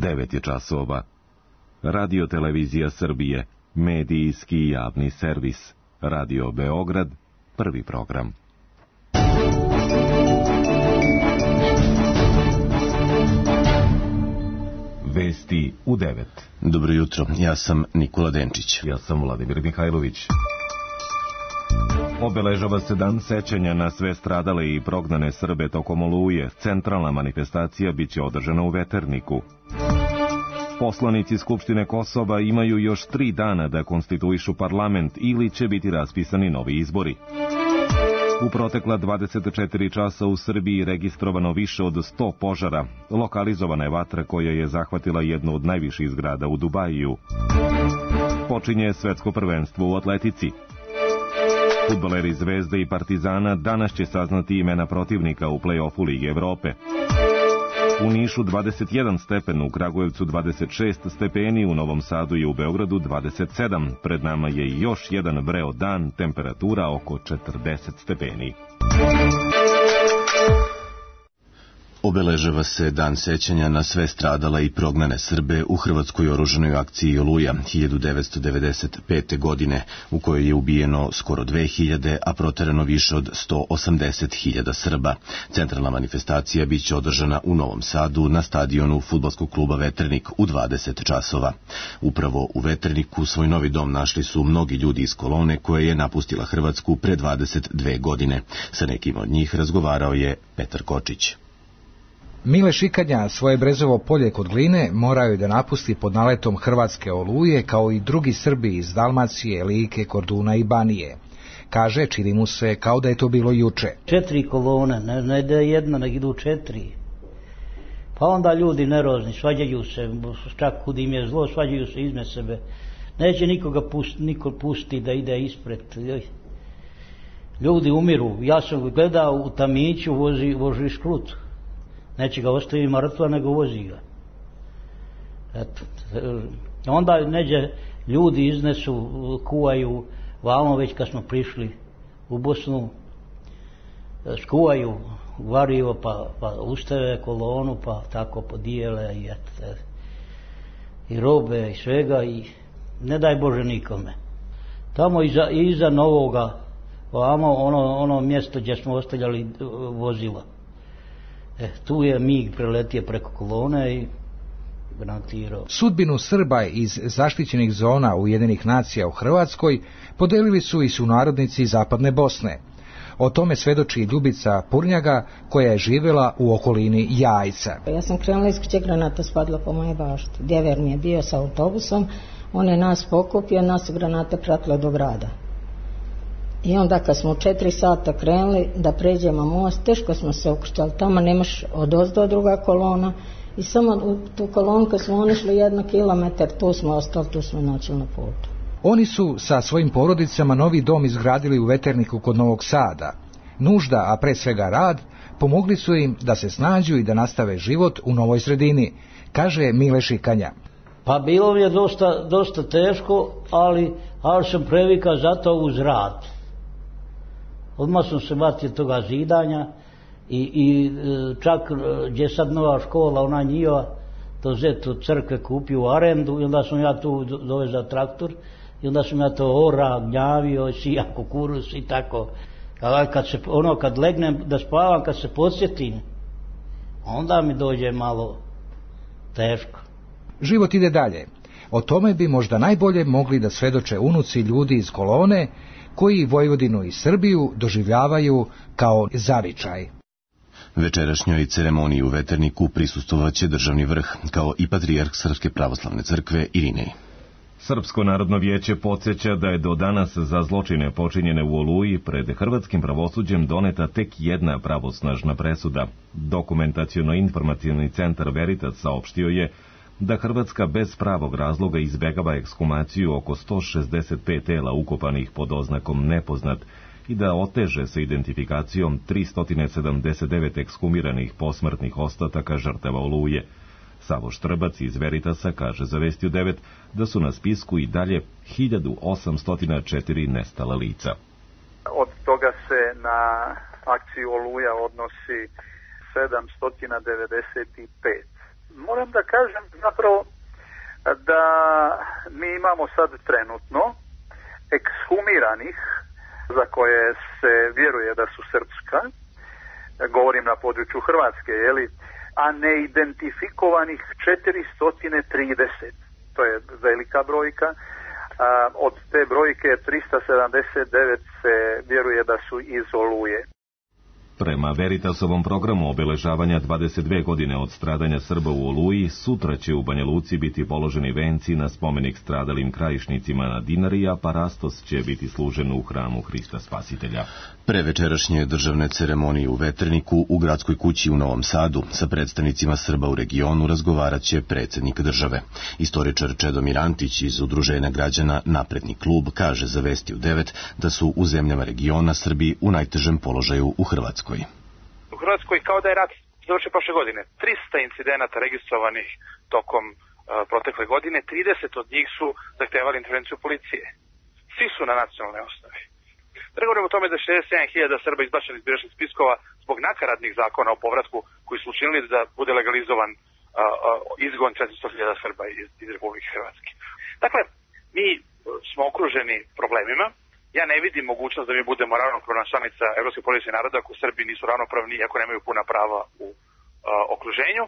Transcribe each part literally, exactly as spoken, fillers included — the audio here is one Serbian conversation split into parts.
devet je časova. Radio Televizija Srbije, medijski javni servis. Radio Beograd, prvi program. Vesti u devet. Dobro jutro, ja sam Nikola Denčić. Ja sam Vladimir Mihajlović. Obeležava se dan sećanja na sve stradale i prognane Srbe tokom Oluje. Centralna manifestacija biće održana u Veterniku. Poslanici Skupštine Kosova imaju još tri dana da konstituišu parlament ili će biti raspisani novi izbori. U protekla dvadeset četiri časa u Srbiji registrovano više od sto požara. Lokalizovana je vatra koja je zahvatila jednu od najviših zgrada u Dubaju. Počinje svetsko prvenstvo u atletici. Fudbaleri Zvezde i Partizana danas će saznati imena protivnika u plej-ofu Lige Evrope. U Nišu dvadeset jedan stepen, u Kragujevcu dvadeset šest stepeni, u Novom Sadu i u Beogradu dvadeset sedam. Pred nama je još jedan vreo dan, temperatura oko četrdeset stepeni. Obeležava se dan sećanja na sve stradale i prognane Srbe u hrvatskoj oružanoj akciji Oluja hiljadu devetsto devedeset pete. godine, u kojoj je ubijeno skoro dve hiljade, a proterano više od sto osamdeset hiljada Srba. Centralna manifestacija biće održana u Novom Sadu na stadionu fudbalskog kluba Veternik u dvadeset časova. Upravo u Veterniku svoj novi dom našli su mnogi ljudi iz kolone koja je napustila Hrvatsku pre dvadeset dve godine. Sa nekim od njih razgovarao je Petar Kočić. Mile Šikanja svoje Brezovo polje kod Gline morao je da napusti pod naletom hrvatske Oluje, kao i drugi Srbi iz Dalmacije, Like, Korduna i Banije. Kaže, čini mu se kao da je to bilo juče. Četiri kolone, ne, ne da je jedna, nek idu četiri. Pa onda ljudi nerozni, svađaju se, čak kud im je zlo, svađaju se izme sebe. Neće nikoga pust, niko pustiti da ide ispred. Ljudi umiru. Ja sam gledao u tamiću, vozi, vozi šklut. Neće ga ostavi mrtva, nego vozi ga. Eto. Onda neđe ljudi iznesu, kuvaju, vamo već kad smo prišli u Bosnu, skuvaju varivo, pa, pa ustave kolonu, pa tako podijele i, et, i robe i svega i ne daj Bože nikome. Tamo iza, iza Novoga, vamo ono, ono mjesto gdje smo ostavljali vozila. E, tu je mig preletio preko kolone i granatirao. Sudbinu Srba iz zaštićenih zona Ujedinjenih nacija u Hrvatskoj podelili su i sunarodnici Zapadne Bosne. O tome svedoči Ljubica Purnjaga, koja je živjela u okolini Jajca. Ja sam krenula iz kuće, granata spadla po moje bašti. Djever mi je bio sa autobusom, on je nas pokupio, nas granate pratile do grada. I onda kad smo u četiri sata krenuli da pređemo most, teško smo se ukrštali, tamo nemaš odozdo druga kolona i samo u tu kolonu kad smo onišli jedno kilometar, tu smo ostali, tu smo načeli na putu. Oni su sa svojim porodicama novi dom izgradili u Veterniku kod Novog Sada. Nužda, a pre svega rad, pomogli su im da se snađu i da nastave život u novoj sredini, kaže Mile Šikanja. Pa bilo mi je dosta, dosta teško, ali, ali sam previkao zato uz rad. Odmah sam se vatio toga zidanja i, i čak gdje sad nova škola, ona njihova, to zetu crkve kupio u arendu i onda sam ja tu dovezao traktor i onda sam ja to ora, gnjavio, sija kukuruz i tako. Kad se, ono, kad legnem da spavam, kad se podsjetim, onda mi dođe malo teško. Život ide dalje. O tome bi možda najbolje mogli da svedoče unuci ljudi iz kolone, koji Vojvodinu i Srbiju doživljavaju kao zavičaj. Večerašnjoj ceremoniji u Veterniku prisustvovaće državni vrh, kao i patrijarh Srpske pravoslavne crkve Irinej. Srpsko narodno vijeće podsjeća da je do danas za zločine počinjene u Oluji pred hrvatskim pravosuđem doneta tek jedna pravosnažna presuda. Dokumentaciono-informacioni centar Veritas saopštio je da Hrvatska bez pravog razloga izbegava ekshumaciju oko sto šezdeset pet tela ukopanih pod oznakom nepoznat i da oteže sa identifikacijom tristo sedamdeset devet ekshumiranih posmrtnih ostataka žrtava Oluje. Savo Štrbac iz Veritasa kaže za Vesti u devet da su na spisku i dalje hiljadu osamsto četiri nestala lica. Od toga se na akciju Oluja odnosi sedamsto devedeset pet. Moram da kažem zapravo da mi imamo sad trenutno ekshumiranih za koje se vjeruje da su srpska, govorim na području Hrvatske, jeli, a neidentifikovanih četiristo trideset. To je velika brojka. A od te brojke trista sedamdeset devet se vjeruje da su iz Oluje. Prema Veritasovom programu obeležavanja dvadeset dve godine od stradanja Srba u Oluji, sutra će u Banja Luci biti položeni venci na spomenik stradalim krajišnicima na Dinari, a parastos će biti služen u hramu Hrista Spasitelja. Pre večerašnje državne ceremonije u Veterniku u gradskoj kući u Novom Sadu sa predstavnicima Srba u regionu razgovarat će predsjednik države. Istoričar Čedomir Antić iz Udruženja građana Napredni klub kaže za Vesti u devet da su u zemljama regiona Srbi u najtežem položaju u Hrvatskoj. U Hrvatskoj kao da je rat završio prošle godine. trista incidenata registrovanih tokom uh, protekle godine, trideset od njih su zahtevali intervenciju policije. Svi su na nacionalnoj osnovi. Da govorimo o tome da šezdeset sedam hiljada Srba izbačeni iz biračkih spiskova zbog nakaradnih zakona o povratku koji su učinili da bude legalizovan uh, uh, izgon četiristo hiljada Srba iz, iz Republike Hrvatske. Dakle, mi smo okruženi problemima. Ja ne vidim mogućnost da mi budemo ravnopravna članica Evropske porodice naroda ako Srbi nisu ravnopravni i ako nemaju puna prava u uh, okruženju.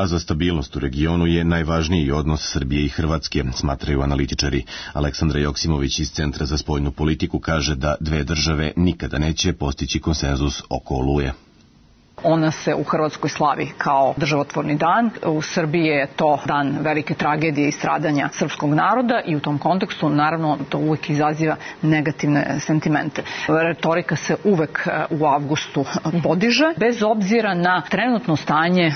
A za stabilnost u regionu je najvažniji odnos Srbije i Hrvatske, smatraju analitičari. Aleksandra Joksimović iz Centra za spoljnu politiku kaže da dve države nikada neće postići konsenzus oko Oluje. Ona se u Hrvatskoj slavi kao državotvorni dan. U Srbiji je to dan velike tragedije i stradanja srpskog naroda i u tom kontekstu naravno to uvek izaziva negativne sentimente. Retorika se uvek u avgustu podiže, bez obzira na trenutno stanje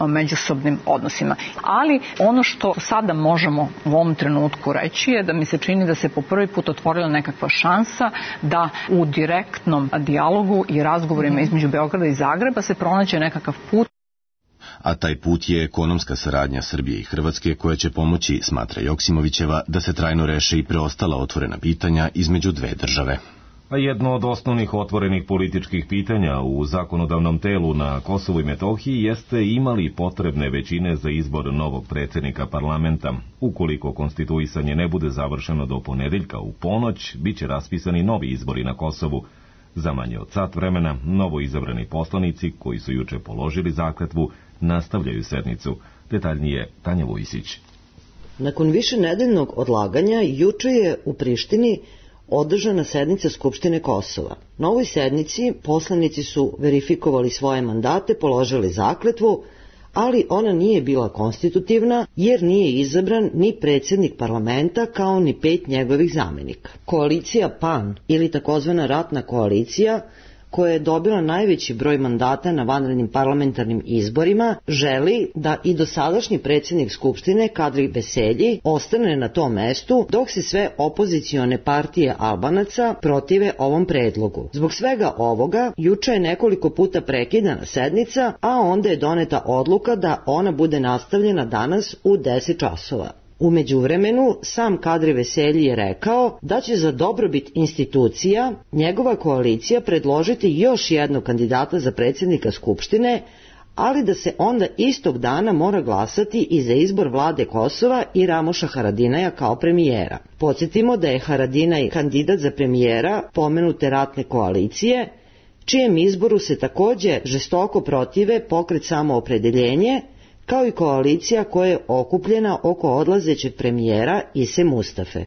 u međusobnim odnosima. Ali ono što sada možemo u ovom trenutku reći je da mi se čini da se po prvi put otvorila nekakva šansa da u direktnom dijalogu i razgovorima između Beograda i Zagreba se pronađe nekakav put. A taj put je ekonomska saradnja Srbije i Hrvatske koja će pomoći, smatra Joksimovićeva, da se trajno reše i preostala otvorena pitanja između dve države. A jedno od osnovnih otvorenih političkih pitanja u zakonodavnom telu na Kosovu i Metohiji jeste imali potrebne većine za izbor novog predsjednika parlamenta. Ukoliko konstituisanje ne bude završeno do ponedeljka u ponoć, bit će raspisani novi izbori na Kosovu. Za manje od sat vremena, novo izabrani poslanici, koji su juče položili zakletvu, nastavljaju sednicu. Detaljnije Tanja Vujsić. Nakon višenedeljnog odlaganja, juče je u Prištini održana sednica Skupštine Kosova. Na ovoj sednici poslanici su verifikovali svoje mandate, položili zakletvu, ali ona nije bila konstitutivna jer nije izabran ni predsjednik parlamenta kao ni pet njegovih zamenika. Koalicija P A N ili takozvana ratna koalicija, koja je dobila najveći broj mandata na vanrednim parlamentarnim izborima, želi da i dosadašnji predsjednik Skupštine Kadri Veselji ostane na tom mestu, dok se sve opozicione partije Albanaca protive ovom predlogu. Zbog svega ovoga, juče je nekoliko puta prekidana sednica, a onda je doneta odluka da ona bude nastavljena danas u deset časova. U međuvremenu, sam Kadri Veselji je rekao da će za dobrobit institucija njegova koalicija predložiti još jednog kandidata za predsjednika Skupštine, ali da se onda istog dana mora glasati i za izbor vlade Kosova i Ramoša Haradinaja kao premijera. Podsjetimo da je Haradinaj kandidat za premijera pomenute ratne koalicije, čijem izboru se također žestoko protive Pokret Samoopredeljenje, kao i koalicija koja je okupljena oko odlazećeg premijera Ise Mustafe.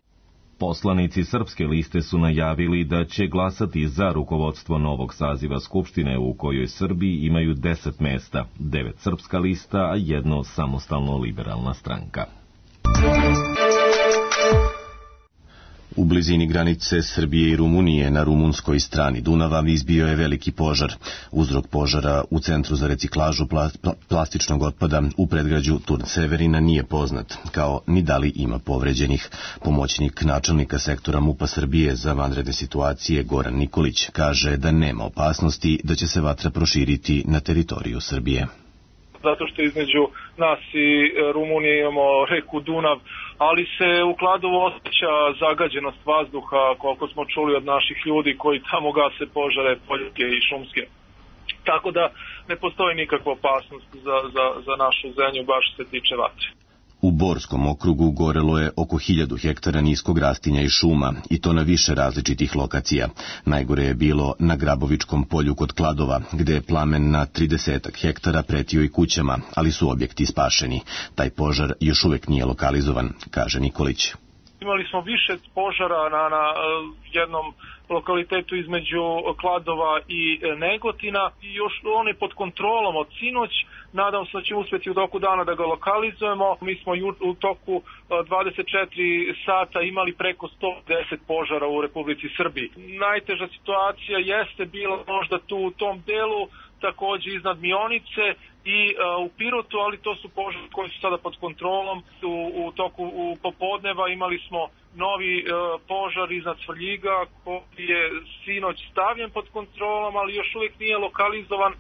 Poslanici Srpske liste su najavili da će glasati za rukovodstvo novog saziva Skupštine u kojoj Srbi imaju deset mesta, devet Srpska lista, a jedno samostalno liberalna stranka. U blizini granice Srbije i Rumunije na rumunskoj strani Dunava izbio je veliki požar. Uzrok požara u Centru za reciklažu plastičnog otpada u predgrađu Turn Severina nije poznat, kao ni da li ima povređenih. Pomoćnik načelnika sektora MUP-a Srbije za vanredne situacije Goran Nikolić kaže da nema opasnosti da će se vatra proširiti na teritoriju Srbije. Zato što između nas i Rumunije imamo reku Dunav, ali se u Kladovu osjeća zagađenost vazduha, koliko smo čuli od naših ljudi koji tamo gase požare poljske i šumske. tako da ne postoji nikakva opasnost za, za, za našu zemlju baš se tiče vatre. U Borskom okrugu gorelo je oko hiljadu hektara niskog rastinja i šuma, i to na više različitih lokacija. Najgore je bilo na Grabovičkom polju kod Kladova, gde je plamen na tridesetak hektara pretio i kućama, ali su objekti spašeni. Taj požar još uvek nije lokalizovan, kaže Nikolić. Imali smo više požara na, na jednom lokalitetu između Kladova i Negotina i još on je pod kontrolom od sinoć. Nadam se da ćemo uspjeti u toku dana da ga lokalizujemo. Mi smo u toku dvadeset četiri sata imali preko sto deset požara u Republici Srbiji. Najteža situacija jeste bila možda tu u tom delu, također iznad Mionice i uh, u Pirotu, ali to su požari koji su sada pod kontrolom. U, u toku u popodneva imali smo novi uh, požar iznad Svrljiga koji je sinoć stavljen pod kontrolom, ali još uvijek nije lokalizovan.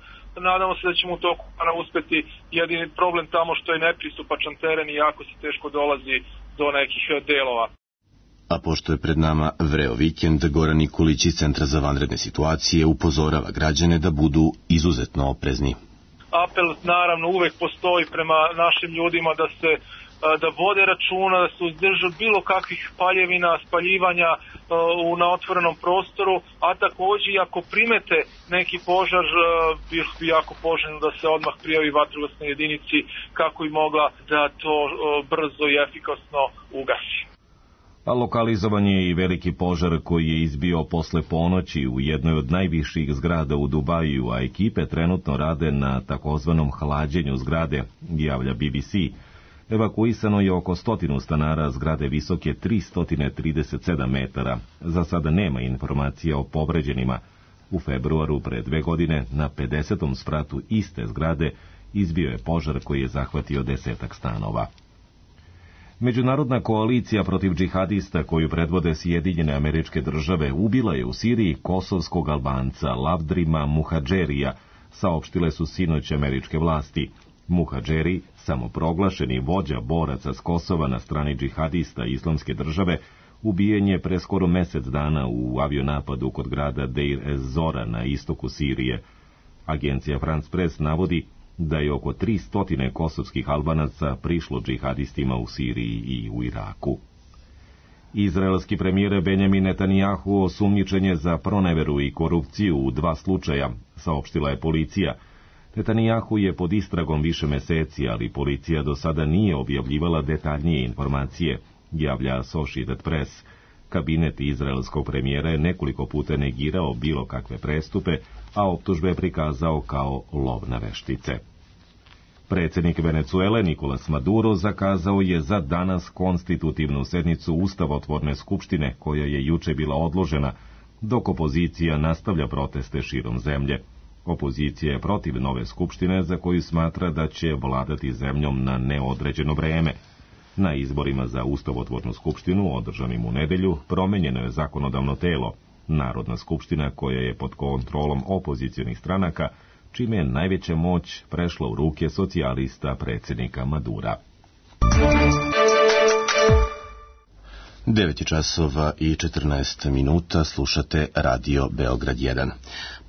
Nadamo se da ćemo u toku dana uspjeti. Jedini problem tamo što je nepristupačan teren i jako se teško dolazi do nekih delova. A pošto je pred nama vreo vikend, Goran Nikolić iz Centra za vanredne situacije upozorava građane da budu izuzetno oprezni. Apel naravno uvek postoji prema našim ljudima da se da vode računa, da se uzdrže bilo kakvih paljevina, spaljivanja uh, na otvorenom prostoru, a također ako primete neki požar, uh, bilo bi jako poželjno da se odmah prijavi vatrogasnoj jedinici kako bi mogla da to uh, brzo i efikasno ugasi. A lokalizovan je i veliki požar koji je izbio posle ponoći u jednoj od najviših zgrada u Dubaju, a ekipe trenutno rade na takozvanom hlađenju zgrade, javlja B B C. Evakuisano je oko stotinu stanara zgrade visoke tristo trideset sedam metara. Za sada nema informacija o povređenima. U februaru pre dve godine na pedesetom spratu iste zgrade izbio je požar koji je zahvatio desetak stanova. Međunarodna koalicija protiv džihadista koju predvode Sjedinjene Američke Države ubila je u Siriji kosovskog Albanca Lavdrima Muhadžerija, saopštile su sinoć američke vlasti. Muhadžeri, samoproglašeni vođa boraca s Kosova na strani džihadista Islamske države, ubijen je pre skoro mesec dana u avionapadu kod grada Deir ez-Zora na istoku Sirije. Agencija France Press navodi da je oko tristo kosovskih Albanaca prišlo džihadistima u Siriji i u Iraku. Izraelski premijer Benjamin Netanjahu osumnjičen je za proneveru i korupciju u dva slučaja, saopštila je policija. Netanjahu je pod istragom više meseci, ali policija do sada nije objavljivala detaljnije informacije, javlja Associated Press. Kabinet izraelskog premijera je nekoliko puta negirao bilo kakve prestupe, a optužbe je prikazao kao lov na veštice. Predsjednik Venecuele Nicolas Maduro zakazao je za danas konstitutivnu sednicu Ustavotvorne skupštine, koja je juče bila odložena, dok opozicija nastavlja proteste širom zemlje. Opozicija je protiv nove skupštine za koju smatra da će vladati zemljom na neodređeno vreme. Na izborima za Ustavotvornu skupštinu, održanim u nedelju, promenjeno je zakonodavno telo, Narodna skupština koja je pod kontrolom opozicionih stranaka, čime je najveća moć prešla u ruke socijalista predsjednika Madura. devet časova i četrnaest minuta, slušate Radio Beograd jedan.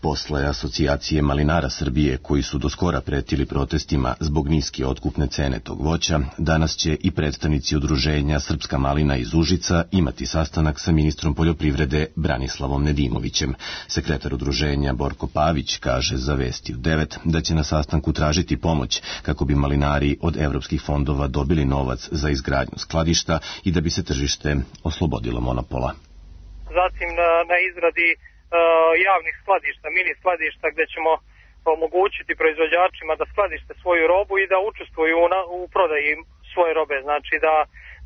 Posle asocijacije malinara Srbije, koji su do skora pretili protestima zbog niske otkupne cene tog voća, danas će i predstavnici udruženja Srpska malina iz Užica imati sastanak sa ministrom poljoprivrede Branislavom Nedimovićem. Sekretar udruženja Borko Pavić kaže za Vesti u devet da će na sastanku tražiti pomoć kako bi malinari od evropskih fondova dobili novac za izgradnju skladišta i da bi se tržište oslobodilo monopola. Zatim na, na izradi uh, javnih skladišta, mini skladišta gdje ćemo omogućiti proizvođačima da skladište svoju robu i da učestvuju na, u prodaji svoje robe. Znači da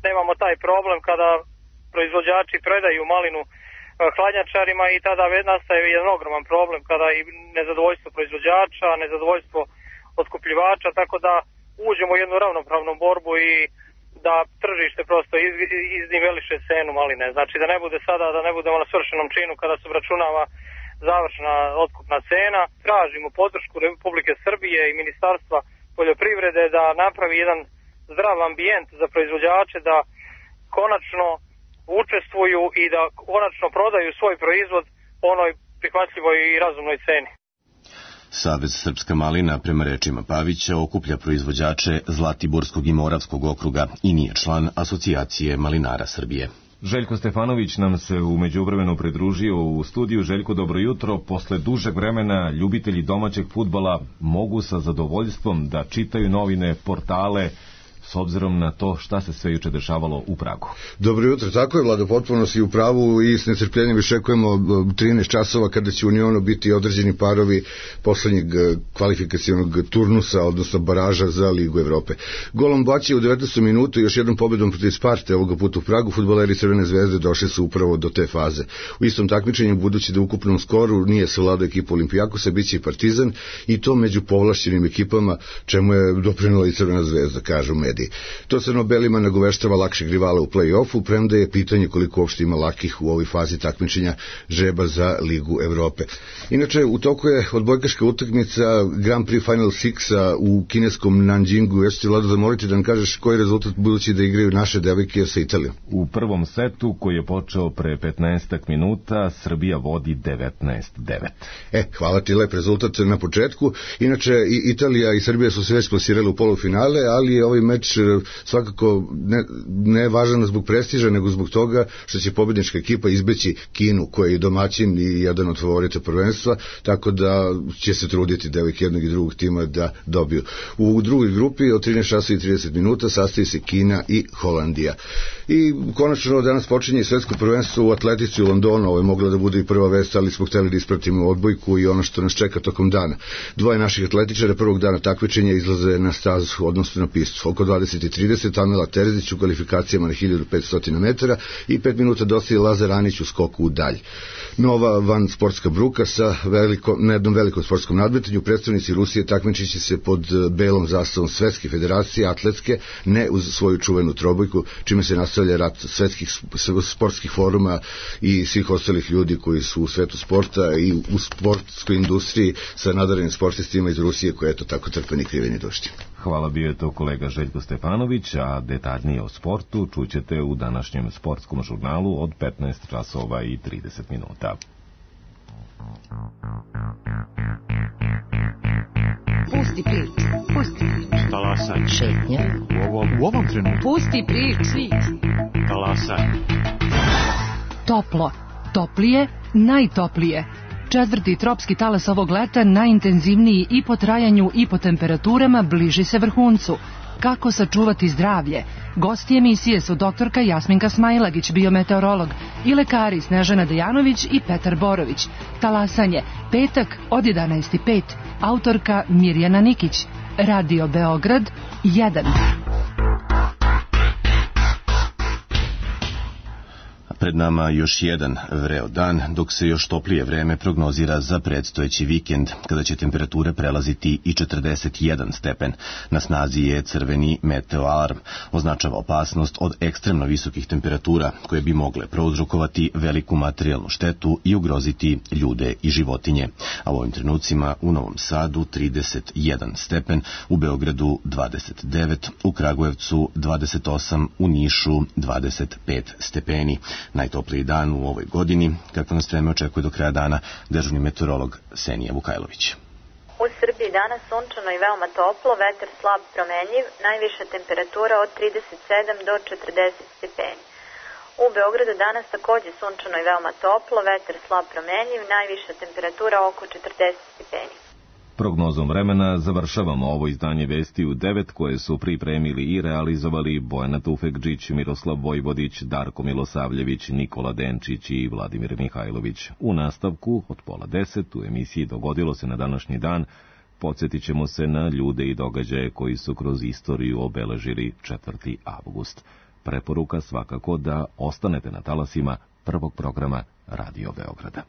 nemamo taj problem kada proizvođači predaju malinu uh, hladnjačarima i tada nastaje jedan ogroman problem kada i nezadovoljstvo proizvođača, nezadovoljstvo otkupljivača, tako da uđemo u jednu ravnopravnu borbu i da tržište prosto iz, izniveliše cenu maline. Znači da ne bude sada, da ne budemo na svršenom činu kada se obračunava završna otkupna cena. Tražimo podršku Republike Srbije i Ministarstva poljoprivrede da napravi jedan zdrav ambijent za proizvođače, da konačno učestvuju i da konačno prodaju svoj proizvod po onoj prihvatljivoj i razumnoj ceni. Savez Srpska malina, prema rečima Pavića, okuplja proizvođače Zlatiborskog i Moravskog okruga i nije član Asocijacije malinara Srbije. Željko Stefanović nam se u međuvremenu pridružio u studiju. Željko, dobro jutro. Posle dužeg vremena ljubitelji domaćeg fudbala mogu sa zadovoljstvom da čitaju novine, portale, s obzirom na to šta se sve juče dešavalo u Pragu. Dobro jutro, tako je, Vlado, potpuno si u pravu i s nestrpljenjem iščekujemo trinaest časova kada će u Unionu biti određeni parovi poslednjeg kvalifikacionog turnusa, odnosno baraža za Ligu Evrope. Golom Baći u devetnaestom minutu, još jednom pobedom protiv Sparte ovoga puta u Pragu, fudbaleri Crvene zvezde došli su upravo do te faze. U istom takmičenju, budući da u ukupnom skoru nije savladao ekipu Olimpijakosa, bit će i Partizan, i to među povlašćenim ekipama, čemu je doprinela i Crvena zvezda, kažu mediji. To crno-belima nagoveštava lakšeg rivala u play-offu, premda je pitanje koliko uopšte ima lakih u ovoj fazi takmičenja žreba za Ligu Evrope. Inače, u toku je odbojkaška utakmica Grand Prix Final Six u kineskom Nanjingu. Ja ću ti, Vlado, zamoliti da nam kažeš koji je rezultat, budući da igraju naše devojke sa Italijom. U prvom setu, koji je počeo pre petnaestak minuta, Srbija vodi devetnaest devet. E, hvala ti, lep rezultat na početku. Inače, i Italija i Srbija su se već plasirali u polufinale, ali je ovaj meč svakako ne, ne važan zbog prestiža, nego zbog toga što će pobednička ekipa izbeći Kinu, koja je domaćin i jedan od favorita prvenstva, tako da će se truditi devojke jednog i drugog tima da dobiju. U drugoj grupi od trinaest časova i trideset minuta sastoji se Kina i Holandija. I konačno danas počinje svetsko prvenstvo u atletici u Londonu. Ovo je mogla da bude i prva vest, ali smo hteli da ispratimo odbojku i ono što nas čeka tokom dana. Dvoje naših atletičara prvog dana takmičenja izlaze na stazu, odnosno na pistu. Oko dvadeset i trideset Amela Terzić u kvalifikacijama na hiljadu petsto metara i pet minuta dostaje Lazar Anić u skoku u dalj. Nova van sportska bruka sa veliko, na jednom velikom sportskom nadmetanju. Predstavnici Rusije takmičiće se pod belom zastavom Svetske federacije atletske, ne uz svoju čuvenu trobojku, čime se nastavlja rat svetskih sportskih foruma i svih ostalih ljudi koji su u svetu sporta i u sportskoj industriji sa nadarenim sportistima iz Rusije, koje eto tako trpe ni krive ni dužni. Hvala, bio je to kolega Željko Stefanović, a detaljnije o sportu čućete u današnjem sportskom žurnalu od petnaest časova i trideset minuta. Pusti priču, pusti priču. Talasaj. Šetnja. U ovom, u ovom trenutku. Pusti priču. Talasaj. Toplo, toplije, najtoplije. Četvrti tropski talas ovog leta, najintenzivniji i po trajanju i po temperaturama, bliži se vrhuncu. Kako sačuvati zdravlje? Gosti emisije su doktorka Jasminka Smailagić, biometeorolog, i lekari Snežana Dejanović i Petar Borović. Talasanje, petak od jedanaest i pet. Autorka Mirjana Nikić. Radio Beograd jedan. Pred nama još jedan vreo dan, dok se još toplije vreme prognozira za predstojeći vikend, kada će temperature prelaziti i četrdeset jedan stepen. Na snazi je crveni meteo alarm. Označava opasnost od ekstremno visokih temperatura, koje bi mogle prouzrokovati veliku materijalnu štetu i ugroziti ljude i životinje. A u ovim trenucima u Novom Sadu trideset jedan stepen, u Beogradu dvadeset devet, u Kragujevcu dvadeset osam, u Nišu dvadeset pet stepeni. Najtopliji dan u ovoj godini, kako nas vreme očekuje do kraja dana, dežurni meteorolog Senija Vukajlović. U Srbiji danas sunčano i veoma toplo, vetar slab promenjiv, najviša temperatura od trideset sedam do četrdeset stepeni. U Beogradu danas takođe sunčano i veoma toplo, vetar slab promenjiv, najviša temperatura oko četrdeset stepeni. Prognozom vremena završavamo ovo izdanje Vesti u devet, koje su pripremili i realizovali Bojana Tufekđić, Miroslav Vojvodić, Darko Milosavljević, Nikola Denčić i Vladimir Mihajlović. U nastavku od pola deset u emisiji Dogodilo se na današnji dan podsjetit ćemo se na ljude i događaje koji su kroz istoriju obeležili četvrti avgust. Preporuka svakako da ostanete na talasima prvog programa Radio Beograda.